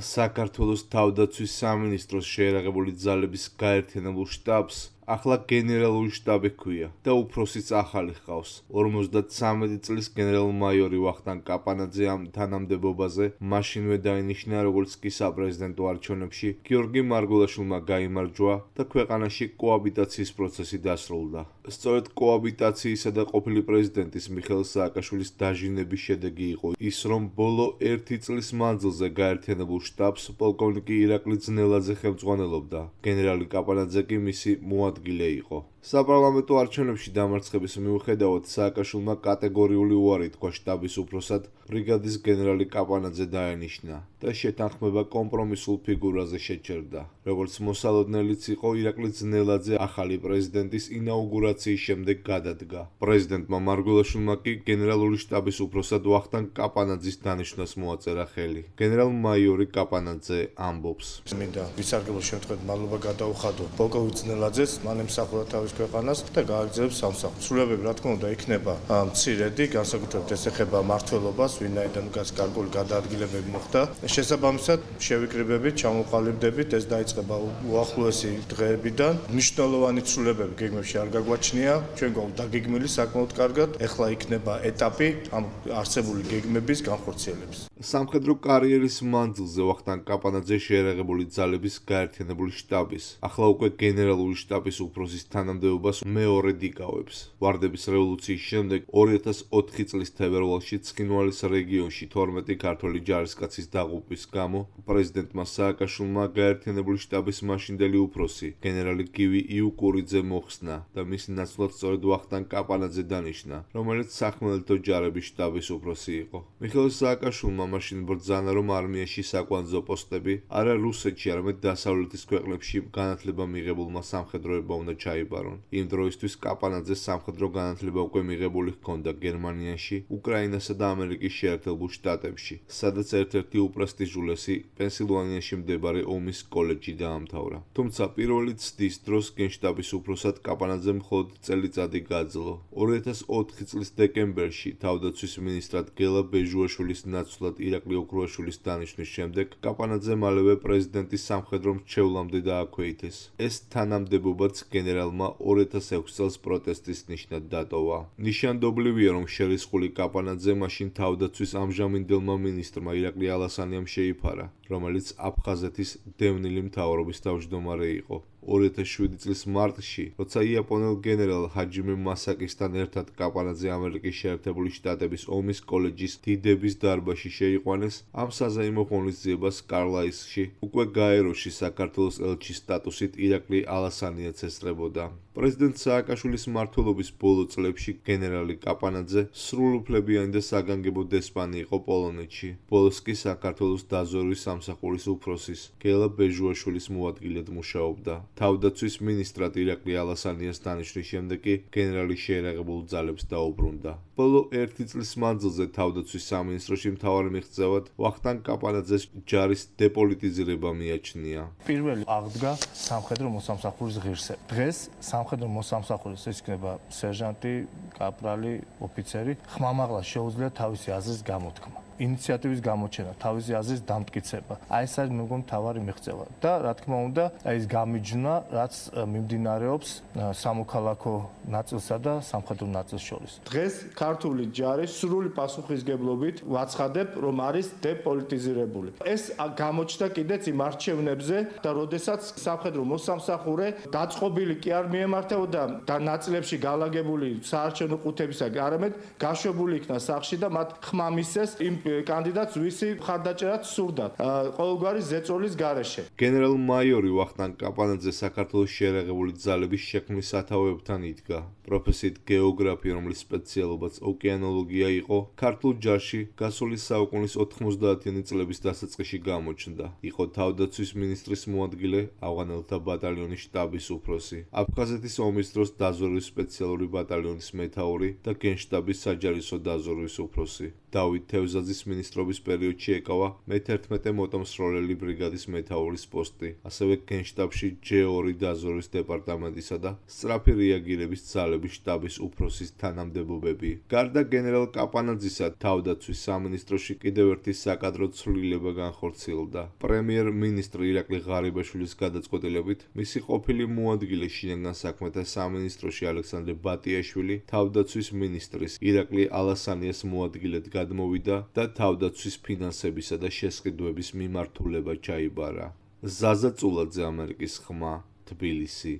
საქართველოს თავდაცვის სამინისტროს შეერაღებული ძალების გაერთიანებულ შტაბს ახლა გენერალური შტაბი ჰქვია და უფროსიც ახალი ჰყავს. 53 წლის გენერალ-მაიორი ვახტანგ კაპანაძე ამ თანამდებობაზე მაშინვე დაინიშნა, როგორც კი საპრეზიდენტო არჩევნებში გიორგი მარგულაშვილმა გაიმარჯვა და ქვეყანაში კოაბიტაციის პროცესი დასრულდა. სწორედ კოაბიტაციისა და ყოფილი პრეზიდენტის მიხეილ სააკაშვილის დაჟინების შედეგი იყო ის, რომ ბოლო 1 წლის მანძილზე გაერთიანებულ შტაბს პოლკოვნიკი ირაკლი ძნელაძე ხელმძღვანელობდა. გენერალი კაპანაძე კი მისი მოადგილე იყო. საპარლამენტო არჩევნებში დამარცხების მიუხედავად სააკაშვილმა კატეგორიული უარი თქვა შტაბის უფროსად ბრიგადის გენერალი კაპანაძე დაენიშნა და შეთანხმება კომპრომისულ ფიგურაზე შეჩერდა. როგორც მოსალოდნელიც იყო, ირაკლი ძნელაძე ახალი პრეზიდენტის ინაუგურაციის შემდეგ გადადგა. პრეზიდენტმა მარგულაშვილმა კი გენერალური შტაბის უფროსად ვახტანგ კაპანაძის დანიშვნას მოაწერა ხელი. გენერალ-მაიორი კაპანაძე ამბობს: მინდა ვისარგებლო შემთხვევით მადლობა გადაუხადო პოლკოვნიკ ძნელაძეს, მან ემსახურა თავის ქვეყანას და გააგრძელებს სამსახურს. სრულებები, რა თქმა უნდა, იქნება მცირედი, განსაკუთრებით ეს ეხება მმართველობას, ვინაიდან გარკვეული გადაადგილებები მოხდა. შესაბამისად, შევიკრიბებით, ჩამოყალიბდებით, ეს დაიწყება უახლოესი დღეებიდან. მნიშვნელოვანი ცვლილებები გეგმებში არ გაგვაჩნია, ჩვენ გვაქვს დაგეგმილი საკმაოდ კარგად. ეხლა იქნება ეტაპი ამ არსებული გეგმების განხორციელების. სამხედრო კარიერის მანძილზე ვახტანგ კაპანაძე შეერაღებული ძალების გაერთიანებული შტაბის, ახლა უკვე გენერალური შტაბის უფროსის თანამდებობას მეორედ იკავებს. ვარდების რევოლუციის შემდეგ 2004 წლის თებერვალში ცხინვალის რეგიონში 12 ქართველი ჯარისკაცის დაღუპვის გამო პრეზიდენტმა სააკაშვილმა გაერთიანებული შტაბის მაშინდელი უფროსი გენერალი გივი იუკურიძე მოხსნა და მის ნაცვლად სწორედ ვახტანგ კაპანაძე დანიშნა, რომელიც სახმელეთო ჯარების შტაბის უფროსი იყო. მიხეილ სააკაშვილმა მაშინ ბრძანა, რომ არმიაში საკვანძო პოსტები არა რუსეთში, არამედ დასავლეთის ქვეყნებში განათლება მიღებულმა სამხედროებმა უნდა ჩაიბარონ. იმ დროისთვის კაპანაძეს სამხედრო განათლება უკვე მიღებული ჰქონდა გერმანიაში, უკრაინასა და ამერიკის შეერთებულ შტატებში, სადაც ერთ-ერთი უპრესტიჟულესი პენსილვანიაში მდებარე ომის კოლეჯი დაამთავრა. თუმცა პირველი ცდის დროს გენშტაბის უფროსად კაპანაძემ მხოლოდ წელიწადი გაძლო. 2004 წლის დეკემბერში თავდაცვის მინისტრად გელა ბეჟუაშვილის ნაცვლად ირაკლი ოქრუაშვილის დანიშვნის შემდეგ კაპანაძე მალევე პრეზიდენტის სამხედრო მრჩევლამდე დააქვეითეს. ეს თანამდებობაც გენერალმა 2006 წელს პროტესტის ნიშნად დატოვა. ნიშანდობლივია, რომ შერისხული კაპანაძე მაშინ თავდაცვის ამჟამინდელმა მინისტრმა ირაკლი ალასანიამ შეიფარა, რომელიც აფხაზეთის დევნილი მთავრობის თავმჯდომარე იყო. 2007 წლის მარტში, როცა იაპონელ გენერალ ჰაჯიმე მასაკისთან ერთად კაპანაძე ამერიკის შეერთებული შტატების ომის კოლეჯის დიდების დარბაზში შეიყვანეს, ამ საზეიმო ღონისძიებას კარლაისში, უკვე გაეროში საქართველოს ელჩის სტატუსით ირაკლი ალასანიაც ესწრებოდა. პრეზიდენტ სააკაშვილის მმართველობის ბოლო წლებში გენერალი კაპანაძე სრულუფლებიანი და საგანგებო დესპანი იყო პოლონეთში. ბოლოს კი საქართველოს დაზვერვის სამსახურის უფროსის გელა ბეჟუაშვილის მოადგილედ მუშაობდა. თავდაცვის მინისტრად ირაკლი ალასანიას დანიშვნის შემდეგ კი გენერალი შეერაღებულ ძალებს დაუბრუნდა. ბოლო 1 წლის მანძილზე თავდაცვის სამინისტროში მთავარი მიღწევად ვახტანგ კაპანაძეს ჯარის დეპოლიტიზირება მიაჩნია. პირველი აღდგა სამხედრო მოსამსახურის ღირსება. დღეს სამხედრო მოსამსახურის ეს იქნება სერჟანტი, კაპრალი, ოფიცერი, ხმამაღლა შეუძლია თავისი აზრის გამოთქმა. ინიციატივის გამოჩენა, თავისი აზრის დამტკიცება. ეს არის მეგონი მთავარი მიღწევა და რა თქმა უნდა, ეს გამიჯვნა, რაც მიმდინარეობს სამოქალაქო ნაწილსა და სამხედრო ნაწილს შორის. დღეს ქართული ჯარი სრული პასუხისგებლობით ვაცხადებ, რომ არის დეპოლიტიზირებული. ეს გამოჩნდა კიდეც იმ არჩევნებზე და როდესაც სამხედრო მოსამსახურე დაწყობილი კი არ მიემართებოდა და ნაწილებში გალაგებული საარჩევნო ყუთებისაგან, არამედ გაშვებული იქნა სახლში და მათ ხმა მისცეს იმ კანდიდატს, ვისი მხარდაჭერაც სურდათ ყოველგვარი ზეწოლის გარეშე. გენერალ-მაიორი ვახტანგ კაპანაძე საქართველოს შეერაღებული ძალების შექმნის სათავეებთან იდგა. პროფესიით გეოგრაფი, რომლის სპეციალობაც ოკეანოლოგია იყო, ქართულ ჯარში გასული საუკუნის 90-იანი წლების დასაწყისში გამოჩნდა. იყო თავდაცვის მინისტრის მოადგილე, ავღანელთა ბატალიონის შტაბის უფროსი, აფხაზეთის ომის დროს დაზვერვის სპეციალური ბატალიონის მეთაური და გენშტაბის საჯარისო დაზვერვის უფროსი. დავით თევზაძის მინისტრობის პერიოდში ეკავა მე-11 მოტომსროლელი ბრიგადის მეთაურის პოსტი, ასევე გენშტაბში J2 დაზვერვის დეპარტამენტისა და სწრაფი რეაგირების ძალების შტაბის უფროსის თანამდებობები. გარდა გენერალ კაპანაძისა, თავდაცვის სამინისტროში კიდევ ერთი საკადრო ცვლილება განხორციელდა. პრემიერ-მინისტრი ირაკლი ღარიბაშვილის გადაწყვეტილებით მისი ყოფილი მოადგილე შინაგან საქმეთა სამინისტროში ალექსანდრე ბატიაშვილი თავდაცვის მინისტრის ირაკლი ალასანიას მოადგილედ გადმოვიდა და თავდაცვის ფინანსებისა და შესყიდვების მიმართულება ჩაიბარა. ზაზა წულაძე, ამერიკის ხმა, თბილისი.